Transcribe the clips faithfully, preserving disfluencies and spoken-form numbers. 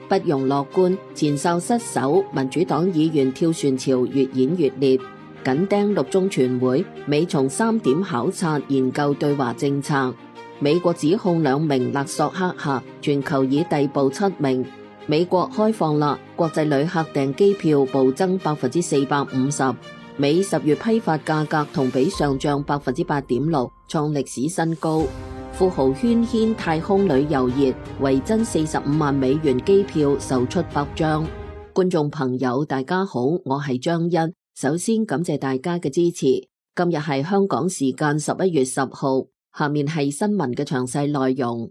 不容樂觀，前哨失守，民主黨議員跳船潮越演越烈。緊盯六中全會，美從三點考察研究對華政策。美國指控兩名勒索黑客，全球已逮捕七名。美國開放啦，國際旅客訂機票暴增百分之四百五十。美十月批發價格同比上漲百分之八點六，創歷史新高。富豪喧軒太空旅遊熱，維珍四十五萬美元機票售出百張。觀眾朋友大家好，我係張欣，首先感謝大家嘅支持。今日係香港時間十一月十號，下面係新聞嘅詳細內容。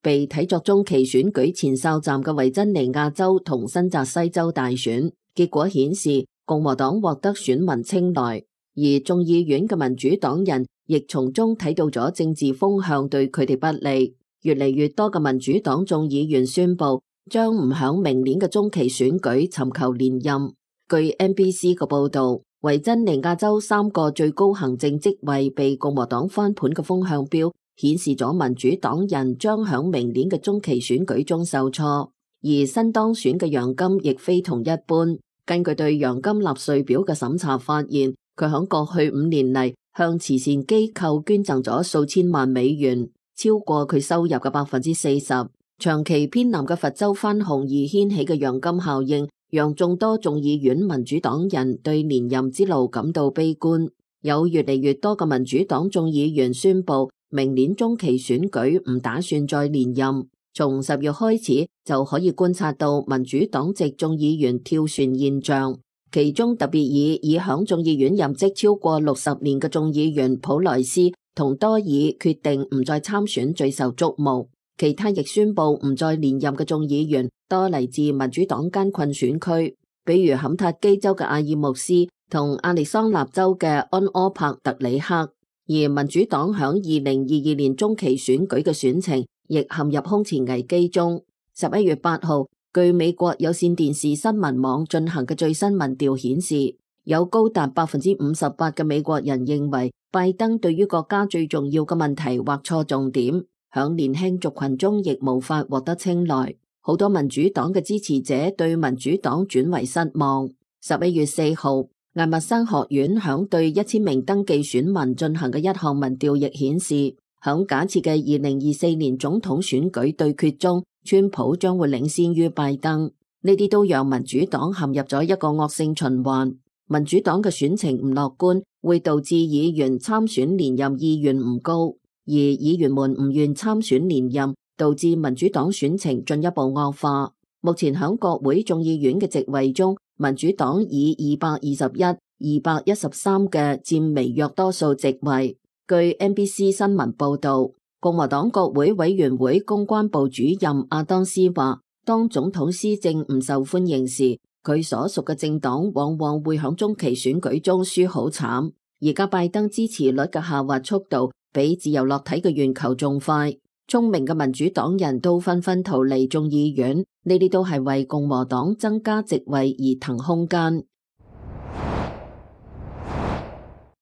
被睇作中期選舉前哨站嘅維珍尼亞州同新澤西州大選，結果顯示共和黨獲得選民青睞，而眾議院嘅民主黨人亦從中睇到咗政治風向對佢哋不利。越嚟越多嘅民主黨眾議員宣布將唔響明年嘅中期選舉尋求連任。據 N B C 嘅報道，維珍尼亞州三個最高行政職位被共和黨翻盤嘅風向標，顯示咗民主黨人將響明年嘅中期選舉中受挫，而新當選嘅楊金亦非同一般。根據對楊金納稅表嘅審查發現，佢響過去五年嚟向慈善機構捐贈咗數千萬美元，超過佢收入嘅百分之四十。長期偏南嘅佛州番紅而掀起嘅楊金效應，讓眾多眾議院民主黨人對連任之路感到悲觀。有越嚟越多嘅民主黨眾議員宣布明年中期選舉唔打算再連任。從十月開始就可以觀察到民主黨籍眾議員跳船現象，其中特別以已響眾議院任職超過六十年嘅眾議員普萊斯同多爾決定唔再參選最受矚目，其他亦宣布唔再連任嘅眾議員多嚟自民主黨艱困選區，比如坎塔基州嘅阿爾穆斯同亞利桑那州嘅安柯帕特里克。而民主黨響二零二二年中期選舉嘅選情亦陷入空前危機中。十一月八號，據美國有線電視新聞網進行嘅最新民調顯示，有高達百分之五十八嘅美國人認為拜登對於國家最重要嘅問題劃錯重點，響年輕族群中亦無法獲得青睞。好多民主黨嘅支持者對民主黨轉為失望。十一月四號，艾默生學院響對一千名登記選民進行嘅一項民調亦顯示，響假設嘅二零二四年總統選舉對決中，川普將會領先於拜登。呢啲都讓民主黨陷入咗一個惡性循環。民主黨嘅選情唔樂觀，會導致議員參選連任意願唔高，而議員們唔願參選連任，導致民主黨選情進一步惡化。目前響國會眾議院嘅席位中，民主黨以二百二十一、二百一十三嘅佔微弱多數席位。據 N B C 新聞報道，共和黨國會委員會公關部主任阿當斯話，當總統施政唔受歡迎時，佢所屬嘅政黨往往會響中期選舉中輸好慘。而家拜登支持率嘅下滑速度比自由落體嘅圓球仲快。聰明嘅民主黨人都紛紛逃離眾議院，呢啲都係為共和黨增加席位而騰空間。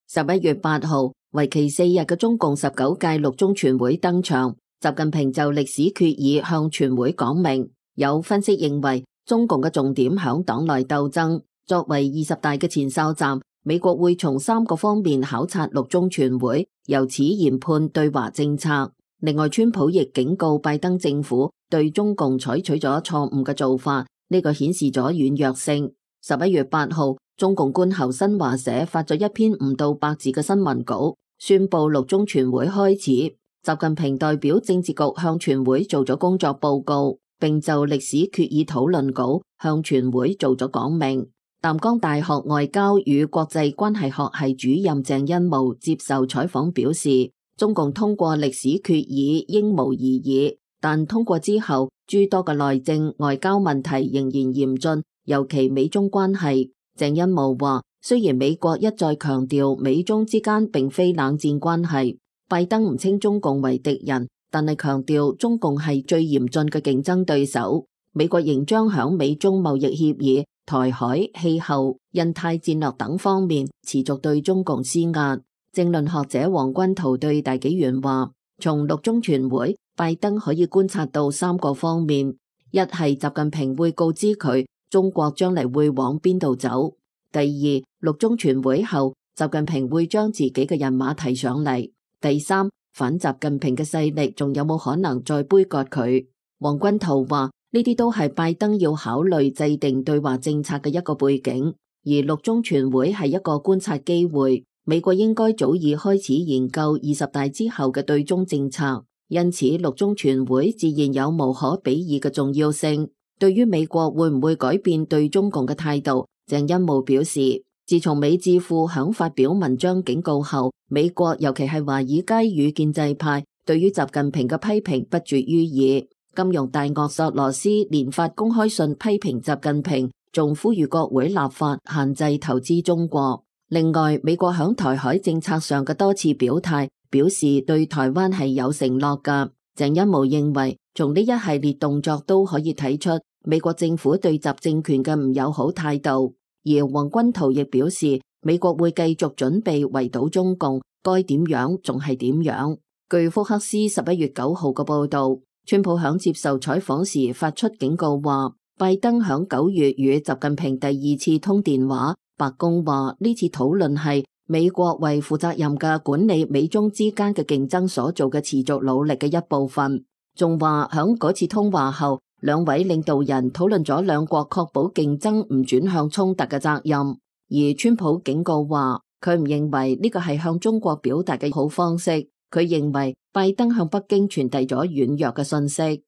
十一月八號，為期四日嘅中共十九屆六中全會登場，習近平就歷史決議向全會講明。有分析認為，中共嘅重點響黨內鬥爭。作為二十大嘅前哨站，美國會從三個方面考察六中全會，由此研判對華政策。另外，川普亦警告拜登政府對中共採取咗錯誤嘅做法，呢個顯示咗軟弱性。十一月八號，中共官喉新華社發咗一篇唔到百字嘅新聞稿，宣布六中全會開始。習近平代表政治局向全會做咗工作報告，並就歷史決議討論稿向全會做咗講明。淡江大學外交與國際關係學系主任鄭恩模接受採訪表示，中共通過歷史決議應無異議，但通過之後，諸多嘅內政外交問題仍然嚴峻，尤其美中關係。鄭恩模話，雖然美國一再強調美中之間並非冷戰關係，拜登唔稱中共為敵人，但係強調中共係最嚴峻嘅競爭對手。美國仍將響美中貿易協議、台海、氣候、印太戰略等方面持續對中共施壓。政論學者黃君濤對大紀元話，從六中全會，拜登可以觀察到三個方面：一係習近平會告知佢中國將嚟會往邊度走；第二，六中全會後，習近平會將自己嘅人馬提上嚟；第三，反習近平嘅勢力仲有冇可能再杯葛佢？黃君濤話，呢啲都係拜登要考慮制定對華政策嘅一個背景，而六中全會係一個觀察機會。美國應該早已開始研究二十大之後嘅對中政策，因此六中全會自然有無可比擬嘅重要性。對於美國會唔會改變對中共嘅態度，鄭欽模表示，自從美智庫響發表文章警告後，美國尤其係華爾街與建制派對於習近平嘅批評不絕於耳。金融大鱷索羅斯連發公開信批評習近平，仲呼籲國會立法限制投資中國。另外，美國響台海政策上嘅多次表態，表示對台灣係有承諾㗎。鄭欽模認為，從呢一系列動作都可以睇出美國政府對習政權嘅唔友好態度。而黃君濤亦表示，美國會繼續準備圍堵中共，該點樣仲係點樣。據福克斯十一月九號嘅報道，川普響接受採訪時發出警告話，拜登響九月與習近平第二次通電話。白宮話呢次討論係美國為負責任嘅管理美中之間嘅競爭所做嘅持續努力嘅一部分。仲話響嗰次通話後，兩位領導人討論咗兩國確保競爭唔轉向衝突嘅責任。而川普警告話，佢唔認為呢個係向中國表達嘅好方式。佢認為拜登向北京傳遞咗軟弱嘅信息。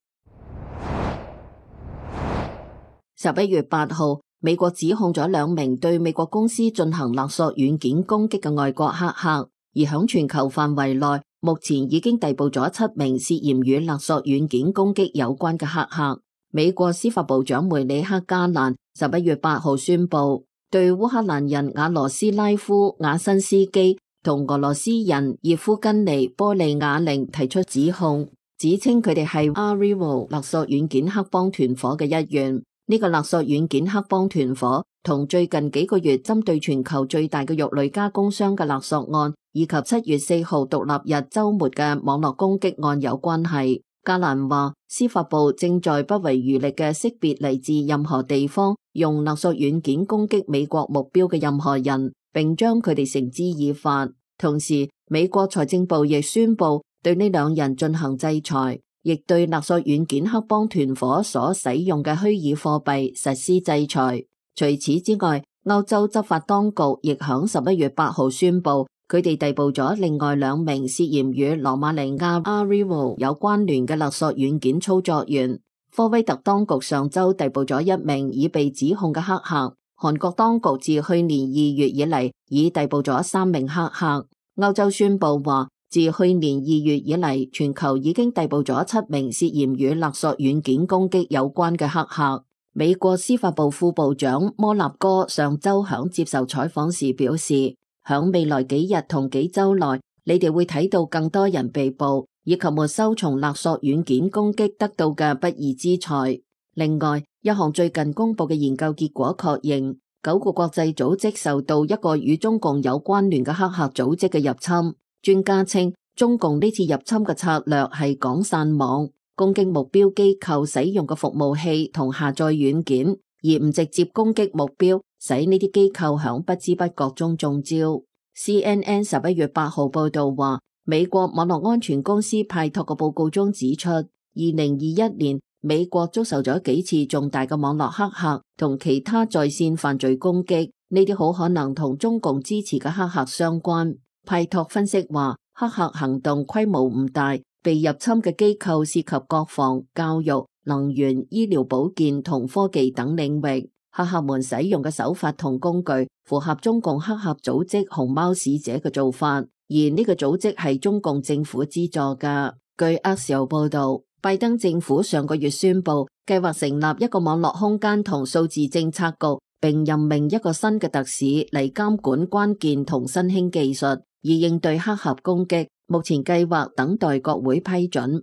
十一月八號。美國指控咗兩名對美國公司進行勒索軟件攻擊嘅外國黑客，而響全球範圍內，目前已經逮捕咗七名涉嫌與勒索軟件攻擊有關嘅黑客。美國司法部長梅里克加蘭十一月八號宣布，對烏克蘭人瓦羅斯拉夫瓦辛斯基同俄羅斯人葉夫根尼波利亞寧提出指控，指稱佢哋係 Arivo 勒索軟件黑幫團伙嘅一員。呢個勒索軟件黑幫團伙同最近幾個月針對全球最大嘅肉類加工商嘅勒索案，以及七月四號獨立日週末嘅網絡攻擊案有關係。加蘭話，司法部正在不遺餘力嘅識別嚟自任何地方用勒索軟件攻擊美國目標嘅任何人，並將佢哋繩之以法。同時，美國財政部亦宣布對呢兩人進行制裁。亦對勒索軟件黑幫團伙所使用嘅虛擬貨幣實施制裁。除此之外，歐洲執法當局亦響十一月八號宣布，佢哋逮捕咗另外兩名涉嫌與羅馬尼亞 Arrival 有關聯嘅勒索軟件操作員。科威特當局上周逮捕咗一名已被指控嘅黑客。韓國當局自去年二月以嚟已逮捕咗三名黑客。歐洲宣布話，自去年二月以嚟，全球已經逮捕咗七名涉嫌與勒索軟件攻擊有關嘅黑客。美國司法部副部長摩納哥上周響接受採訪時表示，響未來幾日同幾周內，你哋會睇到更多人被捕，以及沒收從勒索軟件攻擊得到嘅不義之財。另外，一項最近公布嘅研究結果確認，九個國際組織受到一個與中共有關聯嘅黑客組織嘅入侵。專家稱，中共呢次入侵嘅策略係廣散網，攻擊目標機構使用嘅服務器同下載軟件，而唔直接攻擊目標，使呢啲機構響不知不覺中中招。C N N 十一月八號報道話，美國網絡安全公司派託嘅報告中指出，二零二一年美國遭受咗幾次重大嘅網絡黑客同其他在線犯罪攻擊，呢啲好可能同中共支持嘅黑客相關。派託分析話，黑客行動規模唔大，被入侵嘅機構涉及國防、教育、能源、醫療保健同科技等領域。黑客們使用嘅手法同工具符合中共黑客組織熊貓使者嘅做法，而呢個組織係中共政府資助㗎。據 Axios 報道，拜登政府上個月宣布計劃成立一個網絡空間同數字政策局，並任命一個新嘅特使嚟監管關鍵同新興技術，以應對黑客攻擊。目前計劃等待國會批准。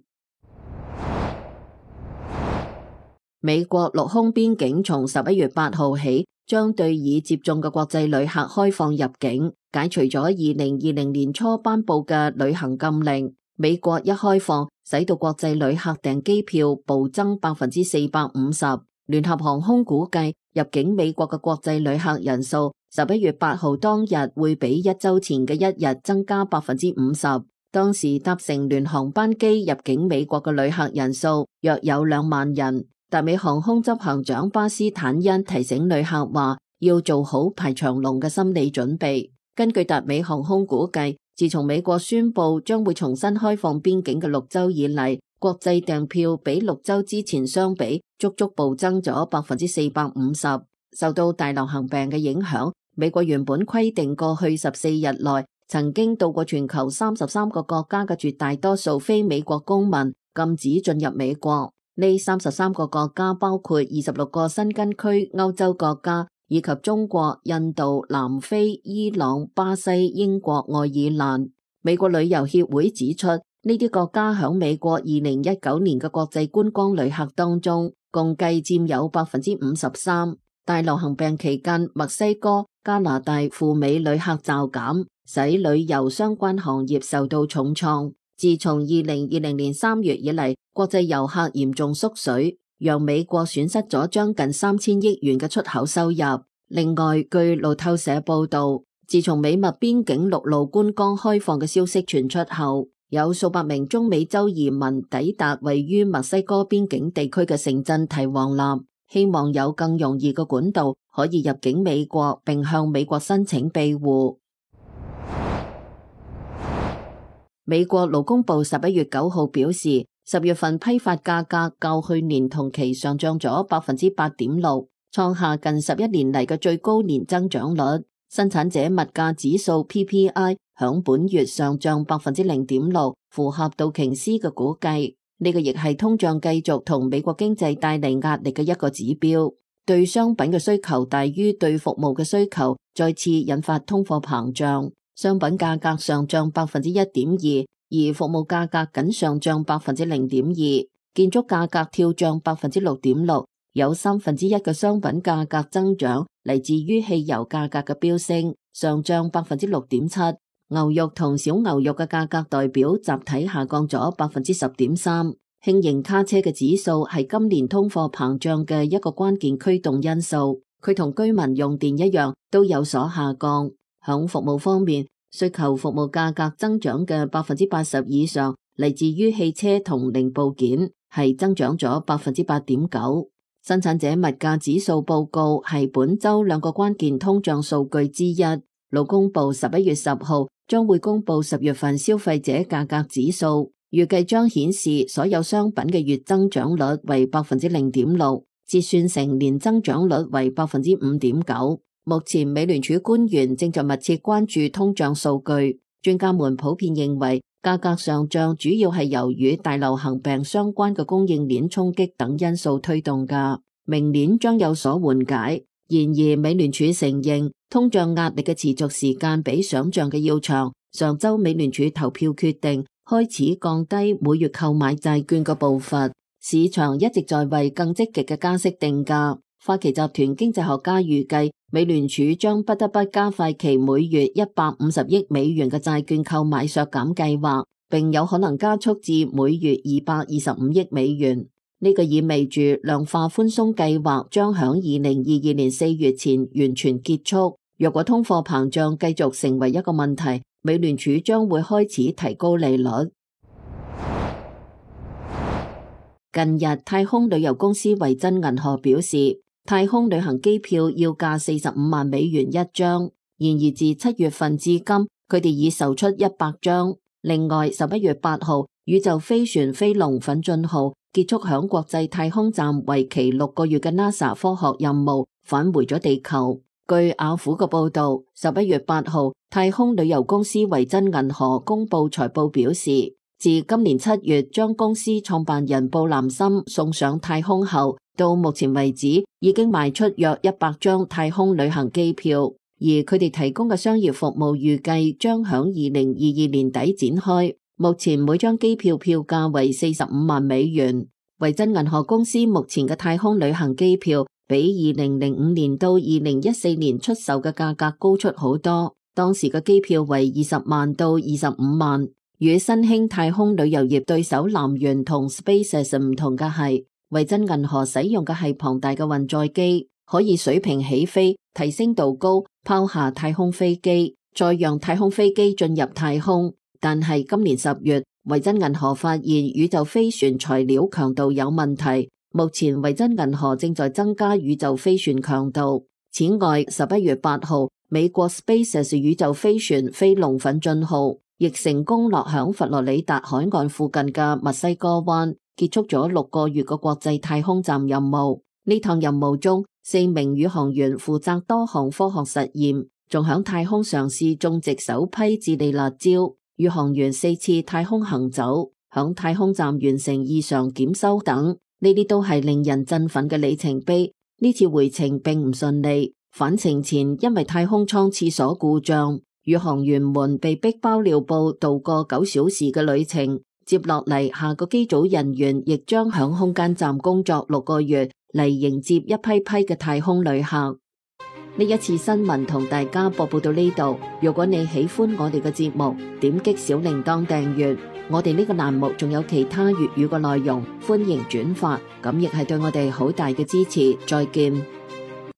美國陸空邊境從十一月八號起，將對已接種嘅國際旅客開放入境，解除咗二零二零年初頒布嘅旅行禁令。美國一開放，使到國際旅客訂機票暴增百分之四百五十。聯合航空估計，入境美國嘅國際旅客人數，十一月八號當日會比一周前嘅一日增加百分之五十。當時搭乘聯航班機入境美國嘅旅客人數約有兩萬人。達美航空執行長巴斯坦恩提醒旅客話，要做好排長龍嘅心理準備。根據達美航空估計，自從美國宣布將會重新開放邊境嘅六周以嚟，國際訂票比六周之前相比，足足暴增咗百分之四百五十。受到大流行病嘅影響，美國原本規定過去十四日內曾經到過全球三十三個國家嘅絕大多數非美國公民禁止進入美國。呢三十三個國家包括二十六個新根區歐洲國家，以及中國、印度、南非、伊朗、巴西、英國、愛爾蘭。美國旅遊協會指出，呢啲國家響美國二零一九年嘅國際觀光旅客當中，共計佔有百分之五十三。大流行病期間，墨西哥、加拿大赴美旅客驟減，使旅遊相關行業受到重創。自從二零二零年三月以嚟，國際遊客嚴重縮水，讓美國損失咗將近三千億元嘅出口收入。另外，據路透社報道，自從美墨邊境陸路觀光開放嘅消息傳出後，有數百名中美洲移民抵達位於墨西哥邊境地區嘅城鎮提旺納，希望有更容易嘅管道可以入境美國，並向美國申請庇護。美國勞工部十一月九號表示，十月份批發價格較去年同期上漲咗百分之八點六，創下近十一年嚟嘅最高年增長率。生產者物價指數 P P I 響本月上漲百分之零點六，符合道瓊斯嘅估計。呢個亦係通脹繼續同美國經濟帶嚟壓力嘅一個指標。對商品嘅需求大於對服務嘅需求，再次引發通貨膨脹。商品價格上漲百分之一點二，而服務價格僅上漲百分之零點二。建築價格跳漲百分之六點六，有三分之一嘅商品價格增長嚟自於汽油價格嘅飆升，上漲百分之六點七。牛肉同小牛肉嘅價格代表集體下降咗百分之十點三。輕型卡車嘅指數係今年通貨膨脹嘅一個關鍵驅動因素，佢同居民用電一樣都有所下降。響服務方面，需求服務價格增長嘅百分之八十以上嚟自於汽車同零部件，係增長咗百分之八點九。生產者物價指數報告係本周兩個關鍵通脹數據之一。勞工部十一月十號將會公布十月份消費者價格指數，預計將顯示所有商品嘅月增長率為百分之零點六，折算成年增長率為百分之五點九。目前美聯儲官員正在密切關注通脹數據，專家們普遍認為價格上漲主要係由於大流行病相關嘅供應鏈衝擊等因素推動㗎，明年將有所緩解。然而美聯儲承認通脹壓力嘅持續時間比想象嘅要長。上周美聯儲投票決定開始降低每月購買債券嘅步伐，市場一直在為更積極嘅加息定價。花旗集團經濟學家預計，美聯儲將不得不加快其每月一百五十億美元嘅債券購買削減計劃，並有可能加速至每月二百二十五億美元。呢個意味住量化寬鬆計劃將響二零二二年四月前完全結束。若果通貨膨脹繼續成為一個問題，美聯儲將會開始提高利率。近日，太空旅遊公司維珍銀河表示，太空旅行機票要價四十五萬美元一張，然而自七月份至今，佢哋已售出一百張。另外，十一月八號，宇宙飛船飛龍奮進號結束響國際太空站為期六個月嘅 NASA 科學任務，返回咗地球。據雅虎嘅報道，十一月八號，太空旅遊公司維珍銀河公布財報表示，自今年七月將公司創辦人布蘭森送上太空後，到目前為止已經賣出約一百張太空旅行機票，而佢哋提供嘅商業服務預計將響二零二二年底展開。目前每張機票票價為四十五萬美元。維珍銀河公司目前嘅太空旅行機票比二零零五年到二零一四年出售嘅價格高出好多，當時嘅機票為二十萬到二十五萬。與新興太空旅遊業對手南轅同 SpaceX 唔同嘅係，維珍銀河使用嘅係龐大嘅運載機，可以水平起飛、提升度高、拋下太空飛機，再讓太空飛機進入太空。但係今年十月，維珍銀河發現宇宙飛船材料強度有問題，目前維珍銀河正在增加宇宙飛船強度。此外，十一月八號，美國 SpaceX 宇宙飛船飛龍奮進號亦成功落響佛羅里達海岸附近嘅墨西哥灣，結束咗六個月嘅國際太空站任務。呢趟任務中，四名宇航員負責多項科學實驗，仲響太空嘗試種植首批智利辣椒。宇航員四次太空行走，響太空站完成異常檢修等，呢啲都係令人振奮嘅里程碑。呢次回程並唔順利，返程前因為太空艙廁所故障，宇航員們被逼包尿布度過九小時嘅旅程。接落嚟，下個機組人員亦將響空間站工作六個月嚟迎接一批批嘅太空旅客。呢一次新聞同大家播報到呢度。如果你喜歡我哋嘅節目，點擊小鈴鐺訂閱。我哋呢個欄目仲有其他粵語嘅內容，歡迎轉發，咁亦係對我哋好大嘅支持。再見。